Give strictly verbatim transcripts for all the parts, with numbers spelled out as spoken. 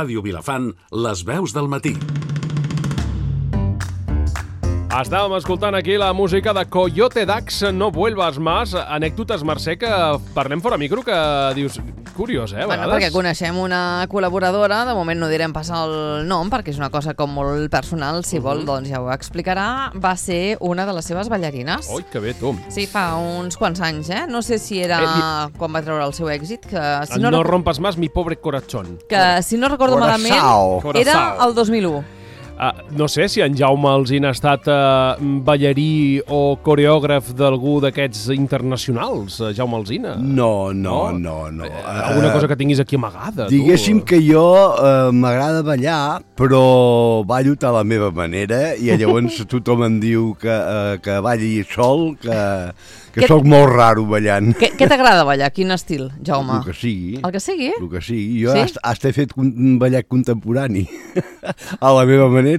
Ràdio Vilafant, les veus del matí. Estàvem escoltant aquí la música de Coyote Dax, No vuelvas más, anècdotes, Mercè, que parlem fora micro, que dius, curiós, eh, a Bueno, vegades. perquè coneixem una col·laboradora, de moment no direm passar el nom, perquè és una cosa com molt personal, si vol, doncs ja ho explicarà. Va ser una de les seves ballarines. Ui, que bé, tu. Sí, fa uns quants anys, eh? No sé si era Eh, quan va treure el seu èxit, que si No, no, no rec- rompes más mi pobre corazón. que si no recordo malament, Coraçao. era el dos mil u. Uh, no sé si en Jaume Alsina ha estat uh, ballarí o coreògraf d'algú d'aquests internacionals, uh, Jaume Alsina. No, no, no. no. Eh, alguna cosa que tinguis aquí amagada, tu. Diguéssim que jo eh, m'agrada ballar, però ballo a la meva manera i llavors tothom em diu que, eh, que balli sol, que, que Què- sóc molt raro ballant. Què, què t'agrada ballar? Quin estil, Jaume? El que sigui. El que sigui? El que sigui. Jo Sí? sí? hasta he fet un ballet contemporani a la meva manera.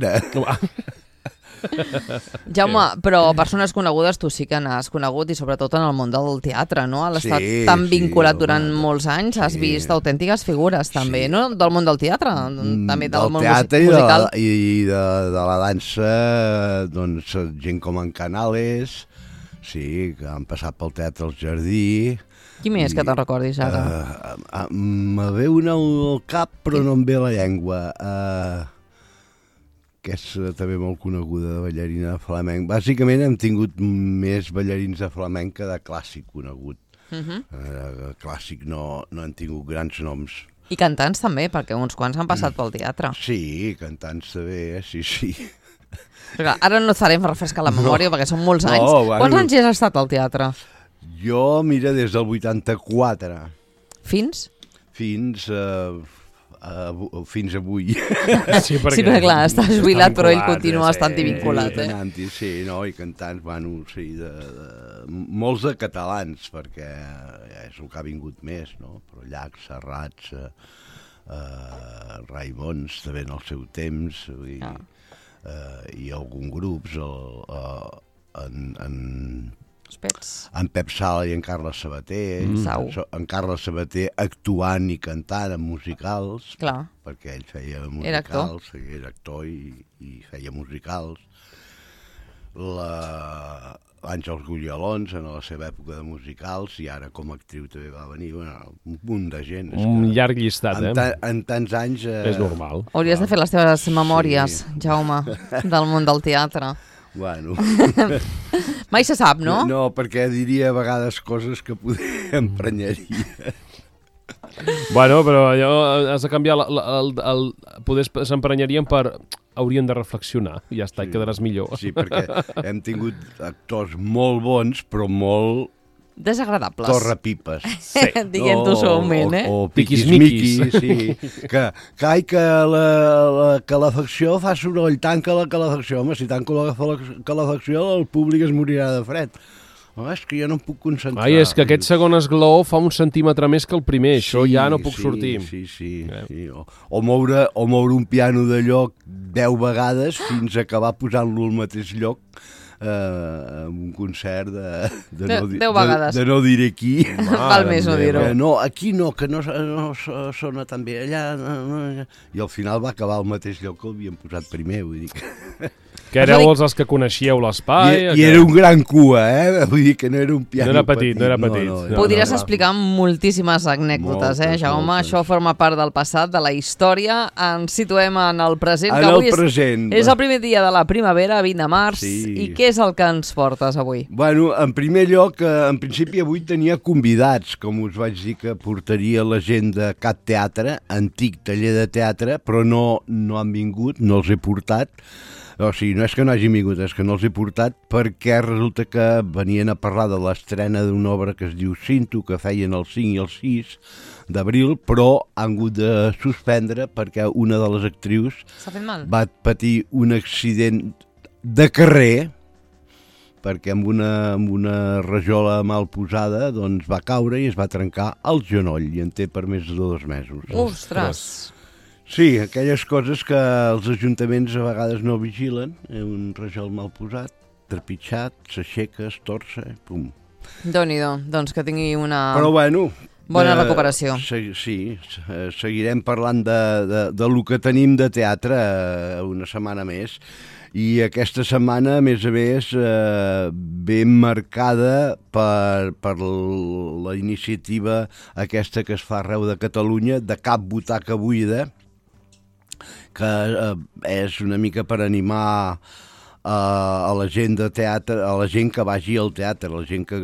Jaume, però persones conegudes tu sí que n'has conegut, i sobretot en el món del teatre, no? Has estat Sí, tan sí, vinculat home. durant molts anys, has Sí. vist autèntiques figures també, no? Del món del teatre, també del, món teatre musi- i de, musical. la, i de, de la dansa, doncs gent com en Canales, sí, que han passat pel Teatre al Jardí. Qui més que te'n recordis ara? Uh, uh, me ve una al cap, però no em ve la llengua. Uh, que és uh, també molt coneguda, de ballarina de flamenc. Bàsicament hem tingut més ballarins de flamenc que de clàssic conegut. Uh -huh. uh, clàssic no, no han tingut grans noms. I cantants també, perquè uns quants han passat pel teatre. Sí, cantants també, eh? sí, sí. Però, ara no et farem refrescar la memòria, no. perquè són molts anys. No, bueno. Quants anys has estat al teatre? Jo, mira, des del vuitanta-quatre Fins? fins a... Uh, fins avui. Sí, perquè, Sí, perquè clar, estàs està jubilat, però ell vinculat, continua eh, estant sí. vinculat, eh? Anant-hi, sí, no? I cantants, bueno, sí, de, de, molts de catalans, perquè és el que ha vingut més, no? Però Llachs, Serrats, eh, eh, Raimons, també en el seu temps, vull dir, Ah. eh, i alguns grups, el, eh, en, en, Els pets. en Pep Sala i en Carles Sabater, Mm. Sau. en Carles Sabater actuant i cantant en musicals, Clar. perquè ell feia Era actor. musicals, era, era actor i, i feia musicals. La... Àngels Gullolons en la seva època de musicals, i ara com a actriu també va venir, bueno, un munt de gent. És Un que llarg llistat, en, eh? ta en tants anys... Eh, És normal. Hauries de fer les teves memòries, Sí. Jaume, del món del teatre. Bueno, Mai se sap, no? no, perquè diria a vegades coses que poder emprenyaria. Bueno, però allò has de canviar la, la, el, el, poder s'emprenyarien per haurien de reflexionar i ja està, sí. I quedaràs millor. Sí, perquè hem tingut actors molt bons, però molt Desagradables. torrepipes. Sí. Diguem-ho suaument, eh? O, o Piquis-miquis. piquis-miquis, sí. Que, que, ai, que la, la calefacció fa soroll, tanca la calefacció. Home, si tanco la calefacció, el públic es morirà de fred. Home, és que jo no em puc concentrar. Ai, és que aquest segon esglaó fa un centímetre més que el primer, això ja no puc sí, sortir. Sí, sí, Eh. sí. O, o, moure, o moure un piano de lloc deu vegades fins a acabar posant-lo al mateix lloc, eh, en un concert de, de, De- no, di- deu vegades. de, de no diré qui. Val més no dir-ho. Eh, no, aquí no, que no, no so- sona tan bé, allà... No, no, allà. I al final va acabar al mateix lloc que l'havien posat primer, vull dir que... Que éreu els, els que coneixíeu l'espai. I, I era un gran cua, eh? Vull dir que no era un piano No era petit, no era petit. No, no, No, Podries no, no. explicar moltíssimes anècdotes, eh, Moltes, Jaume? moltes. Això forma part del passat, de la història. Ens situem en el present, En que el avui és, present. és el primer dia de la primavera, vint de març. Sí. I què és el que ens portes avui? Bueno, en primer lloc, eh, en principi avui tenia convidats, com us vaig dir que portaria la gent de Cat Teatre, antic taller de teatre, però no, no han vingut, no els he portat. O sigui, no és que no hagin vingut, és que no els he portat perquè resulta que venien a parlar de l'estrena d'una obra que es diu Cinto, que feien el cinc i el sis d'abril, però han hagut de suspendre perquè una de les actrius S'ha fet mal? va patir un accident de carrer, perquè amb una, amb una rajola mal posada doncs va caure i es va trencar el genoll i en té per més de dos mesos. Ostres! Sí, aquelles coses que els ajuntaments a vegades no vigilen, eh, un rajol mal posat, trepitjat, s'aixeca, es torça, pum. Déu-n'hi-do, doncs que tingui una... Però bueno, Bona recuperació. Uh, sí, seguirem parlant de, de, de lo que tenim de teatre uh, una setmana més. I aquesta setmana, a més a més, eh, ben marcada per, per la iniciativa aquesta que es fa arreu de Catalunya, de Cap Butaca Buida, que eh, és una mica per animar eh, a la gent de teatre, a la gent que vagi al teatre, a la gent que,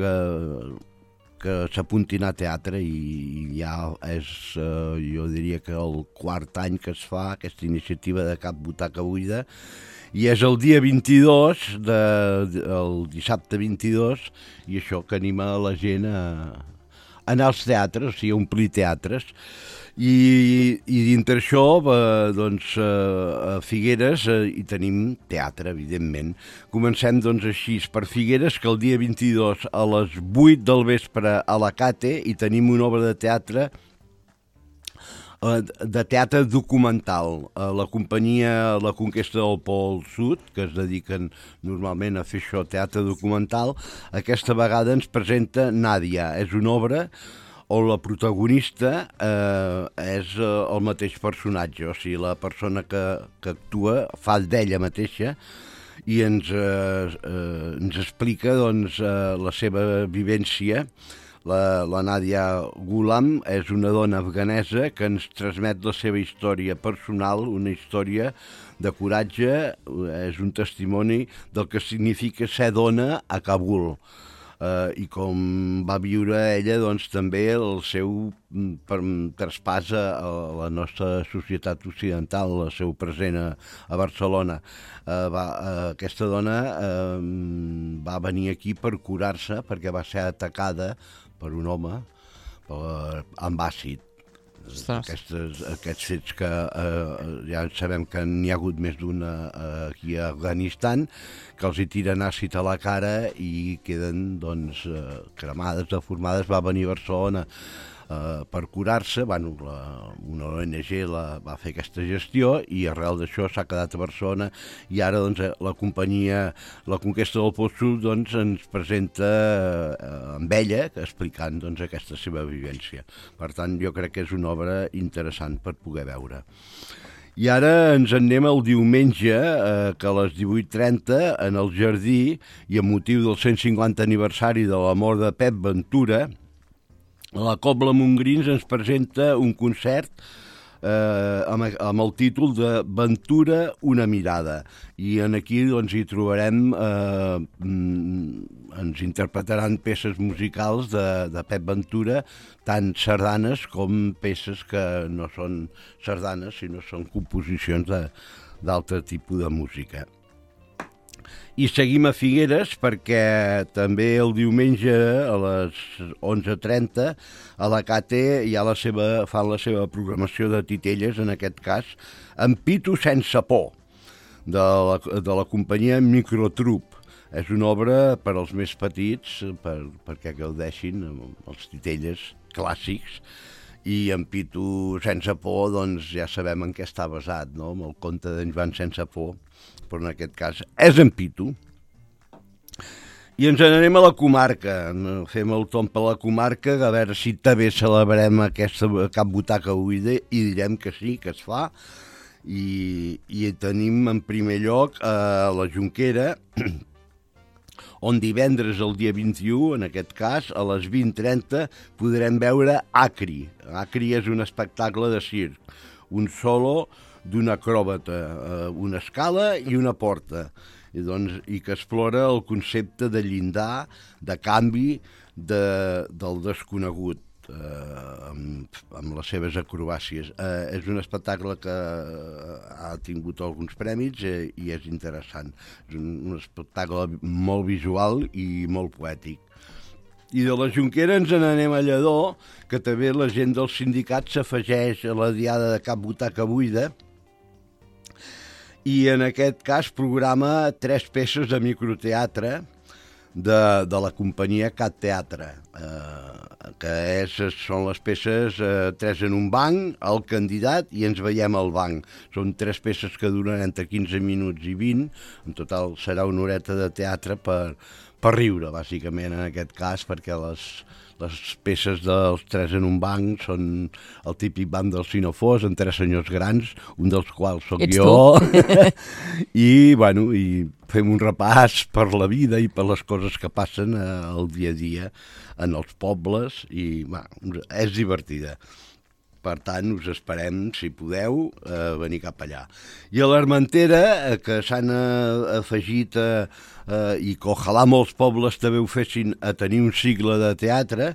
que s'apuntin a teatre, i ja és, eh, jo diria que el quart any que es fa aquesta iniciativa de Cap Butaca Buida, i és el dia vint-i-dos, de, de, el dissabte vint-i-dos, i això que anima la gent a, a anar als teatres, o sigui, a omplir teatres. I, i dintre això, eh, doncs, eh, a Figueres eh, hi tenim teatre, evidentment. Comencem, doncs, així per Figueres, que el dia vint-i-dos a les vuit del vespre a la Cate hi tenim una obra de teatre de teatre documental. La companyia La Conquesta del Pol Sud, que es dediquen normalment a fer això, teatre documental, aquesta vegada ens presenta Nàdia. És una obra on la protagonista eh, és el mateix personatge, o sigui, la persona que, que actua fa d'ella mateixa, i ens, eh, eh, ens explica, doncs, eh, la seva vivència. La, la Nàdia Ghulam és una dona afganesa que ens transmet la seva història personal, una història de coratge, és un testimoni del que significa ser dona a Kabul. Uh, i com va viure ella, doncs, també el seu per, traspàs a, a la nostra societat occidental, el seu present a, a Barcelona. Uh, va, uh, aquesta dona uh, va venir aquí per curar-se perquè va ser atacada per un home per, amb àcid. Aquestes, aquests fets que eh, ja sabem que n'hi ha hagut més d'una eh, aquí a Afganistan, que els hi tiren àcid a la cara i queden, doncs, eh, cremades, deformades. Va venir a Barcelona eh, per curar-se. Bueno, la, una O N G la, va fer aquesta gestió i arrel d'això s'ha quedat a Barcelona, i ara, doncs, la companyia La Conquesta del Pol Sud, doncs, ens presenta eh, amb ella explicant, doncs, aquesta seva vivència. Per tant, jo crec que és una obra interessant per poder veure. I ara ens en anem el diumenge, eh, que a les divuit trenta, en el Jardí, i amb motiu del cent cinquanta aniversari de la mort de Pep Ventura, la Cobla Montgrins ens presenta un concert eh, amb, amb el títol de Ventura, una mirada. I en aquí, doncs, hi trobarem, eh, ens interpretaran peces musicals de, de Pep Ventura, tant sardanes com peces que no són sardanes, sinó són composicions d'altre tipus de música. I seguim a Figueres perquè també el diumenge a les onze trenta a la Cate ja la seva, fan la seva programació de titelles, en aquest cas, amb Pitu sense por, de la, de la companyia Microtrup. És una obra per als més petits, per, perquè gaudeixin els titelles clàssics, i en Pitu sense por, doncs, ja sabem en què està basat, no? Amb el conte d'en Joan sense por, però en aquest cas és en Pitu. I ens n'anem a la comarca, fem el tomb a la comarca, a veure si també celebrem aquesta Cap Butaca Buida, i direm que sí, que es fa. I, i tenim en primer lloc a la Jonquera, on divendres, el dia vint-i-u, en aquest cas, a les vint trenta, podrem veure Acri. Acri és un espectacle de circ, un solo d'un acròbata, una escala i una porta, i, doncs, i que explora el concepte de llindar, de canvi, de, del desconegut, eh, amb, amb les seves acrobàcies. Eh, és un espectacle que ha tingut alguns premis eh, i és interessant. És un, un espectacle molt visual i molt poètic. I de la Jonquera ens n'anem a Lledó, que també la gent del sindicat s'afegeix a la diada de Cap Butaca Buida, i en aquest cas programa tres peces de microteatre de, de la companyia Cat Teatre, eh, que és, són les peces eh, tres en un banc, el candidat i ens veiem al banc. Són tres peces que duren entre quinze minuts i vint, en total serà una horeta de teatre per, per riure, bàsicament, en aquest cas, perquè les, les peces dels Tres en un banc són el típic banc dels Sinofors, en tres senyors grans, un dels quals sóc Ets jo, i, bueno, i fem un repàs per la vida i per les coses que passen eh, al dia a dia en els pobles, i bueno, és divertida. Per tant, us esperem, si podeu, eh, venir cap allà. I a l'Armentera, eh, que s'han eh, afegit, eh, eh, i que ojalà molts pobles també ho fessin, a tenir un cicle de teatre,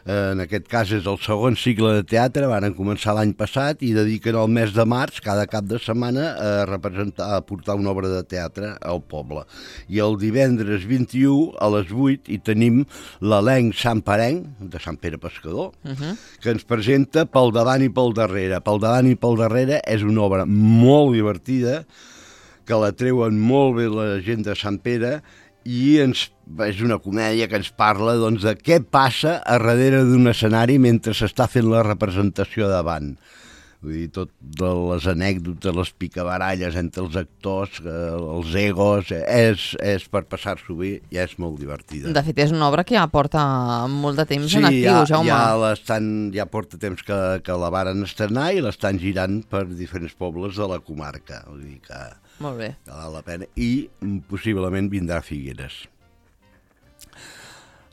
eh, en aquest cas és el segon cicle de teatre, van començar l'any passat i dediquen el mes de març, cada cap de setmana, a representar, a portar una obra de teatre al poble. I el divendres vint-i-u a les vuit hi tenim l'elenc Sant Parenc, de Sant Pere Pescador, uh-huh. que ens presenta Pel davant i pel darrere. Pel davant i pel darrere és una obra molt divertida, que la treuen molt bé la gent de Sant Pere, i ens, és una comèdia que ens parla doncs, de què passa a darrere d'un escenari mentre s'està fent la representació davant. Vull dir, tot de les anècdotes, les picabaralles entre els actors, eh, els egos, eh, és, és per passar-s'ho bé i és molt divertida. De fet, és una obra que ja porta molt de temps sí, en actiu, ja, Jaume. Ja, l'estan, ja porta temps que, que la varen estrenar i l'estan girant per diferents pobles de la comarca. Vull dir que... Molt bé. Que val la pena. I possiblement vindrà a Figueres.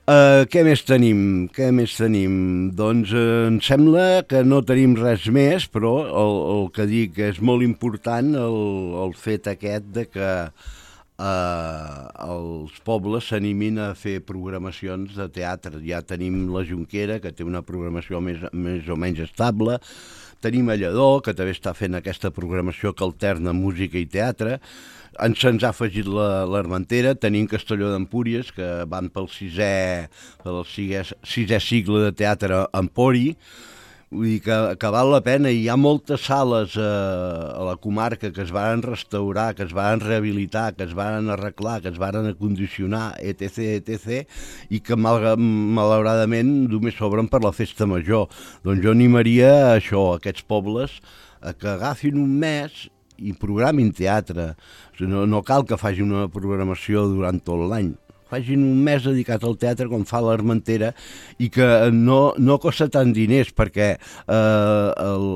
Uh, què més tenim? Què més tenim? Doncs uh, em sembla que no tenim res més, però el, el que dic és molt important el, el fet aquest de que uh, els pobles s'animin a fer programacions de teatre. Ja tenim la Jonquera, que té una programació més, més o menys estable. Tenim a Lledó, que també està fent aquesta programació que alterna música i teatre. Ens se'ns ha afegit l'Armentera, tenim Castelló d'Empúries, que van pel sisè, pel sisè, sisè cicle de teatre Empori. Vull dir que, que val la pena. Hi ha moltes sales eh, a la comarca que es van restaurar, que es van rehabilitar, que es van arreglar, que es van acondicionar, etc, etcètera, i que mal, malauradament només s'obren per la festa major. Doncs jo animaria a això, a aquests pobles, a que agafin un mes i programin teatre. No, no cal que facin una programació durant tot l'any. Facin un mes dedicat al teatre com fa l'Armentera, i que no, no costa tant diners, perquè eh, el,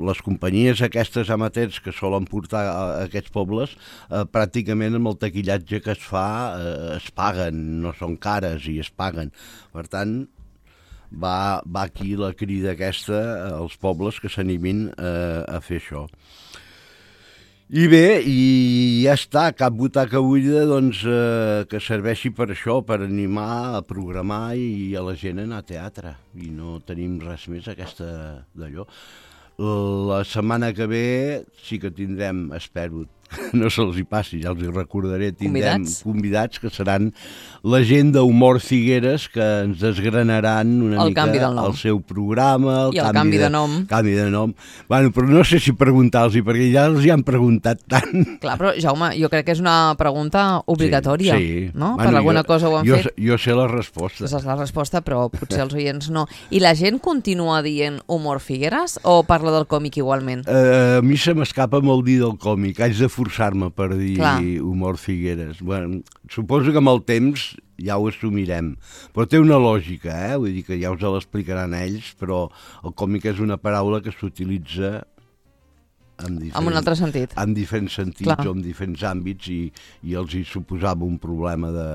les companyies aquestes amateurs que solen portar a, a aquests pobles, eh, pràcticament amb el taquillatge que es fa eh, es paguen, no són cares i es paguen. Per tant, va, va aquí la crida aquesta als pobles que s'animin eh, a fer això. I bé, i ja està, cap butaca buida, doncs, eh, que serveixi per això, per animar a programar i a la gent a anar a teatre. I no tenim res més aquesta d'allò. La setmana que ve sí que tindrem, espero, no se'ls hi passi, ja els hi recordaré, tindrem convidats, convidats que seran la gent d'Humor Figueres, que ens desgranaran una el mica el seu programa, el, i el canvi, canvi de, de nom. canvi de nom. Bueno, però no sé si preguntar-los, perquè ja els hi han preguntat tant. Clar, però Jaume, jo crec que és una pregunta obligatòria, sí, sí. no? Bueno, Per alguna jo, cosa ho han jo, fet. Jo sé la resposta. Aquesta és la resposta, però potser els oients no. I la gent continua dient Humor Figueres o parla del còmic igualment? Uh, a mi se m'escapa molt dir del còmic, haig de forçar-me per dir Clar. Humor Figueres. Bueno, suposo que amb el temps ja ho assumirem, però té una lògica, eh? Vull dir que ja us l'explicaran ells, però el còmic és una paraula que s'utilitza en, en un altre sentit. En diferents sentits, Clar. o en diferents àmbits, i, i els hi suposava un problema de,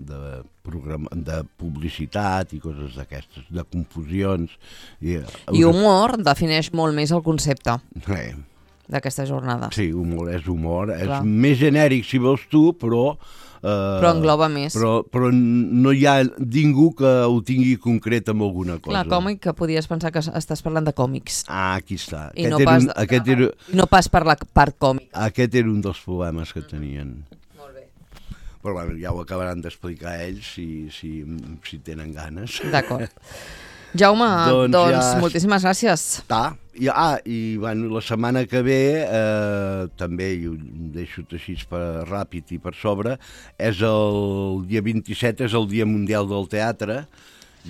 de, programa, de publicitat i coses d'aquestes, de confusions. I, I humor defineix molt més el concepte eh, d'aquesta jornada. sí, humor és humor, Clar. és més genèric si vols tu, però... Eh, Però engloba més. Però, però no hi ha ningú que ho tingui concret amb alguna cosa. Clar, còmic, que podies pensar que estàs parlant de còmics. Ah, aquí està. I Aquest no era pas, un, aquest era, no pas per la part còmic. aquest era un dels problemes que tenien. Molt bé. Però bueno, ja ho acabaran d'explicar ells si, si, si tenen ganes. D'acord. Jaume, doncs, doncs ja... moltíssimes gràcies. Està. I, ah, i bueno, la setmana que ve, eh, també, i ho deixo així per ràpid i per sobre, és el dia vint-i-set, és el Dia Mundial del Teatre,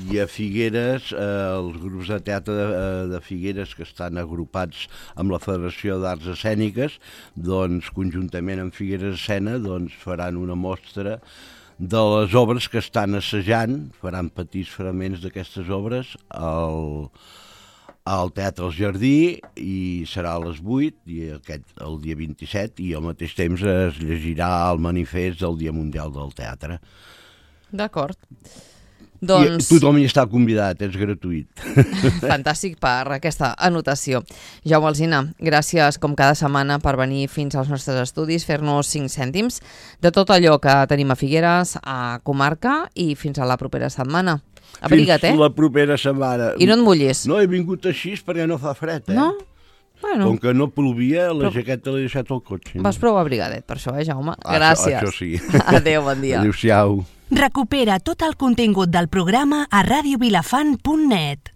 i a Figueres, eh, els grups de teatre de, de Figueres que estan agrupats amb la Federació d'Arts Escèniques, doncs, conjuntament amb Figueres Escena, doncs, faran una mostra de les obres que estan assajant, faran petits fragments d'aquestes obres al, al Teatre El Jardí, i serà a les vuit, i aquest, el dia vint-i-set, i al mateix temps es llegirà el manifest del Dia Mundial del Teatre. D'acord. Doncs... I tothom hi està convidat, és gratuït. Fantàstic per aquesta anotació. Jaume Alsina, gràcies com cada setmana per venir fins als nostres estudis, fer-nos cinc cèntims de tot allò que tenim a Figueres, a comarca, i fins a la propera setmana. Abriga't, eh? Fins la propera setmana. I no et mullis. No, he vingut així perquè no fa fred, eh? No? Bueno. Com que no plovia, la Però... jaqueta l'he deixat al cotxe. Vas prou abrigadet per això, eh, Jaume? Ah, gràcies. Això, això sí. Adéu, bon dia. Adéu-siau. Recupera tot el contingut del programa a radio vilafant punt net.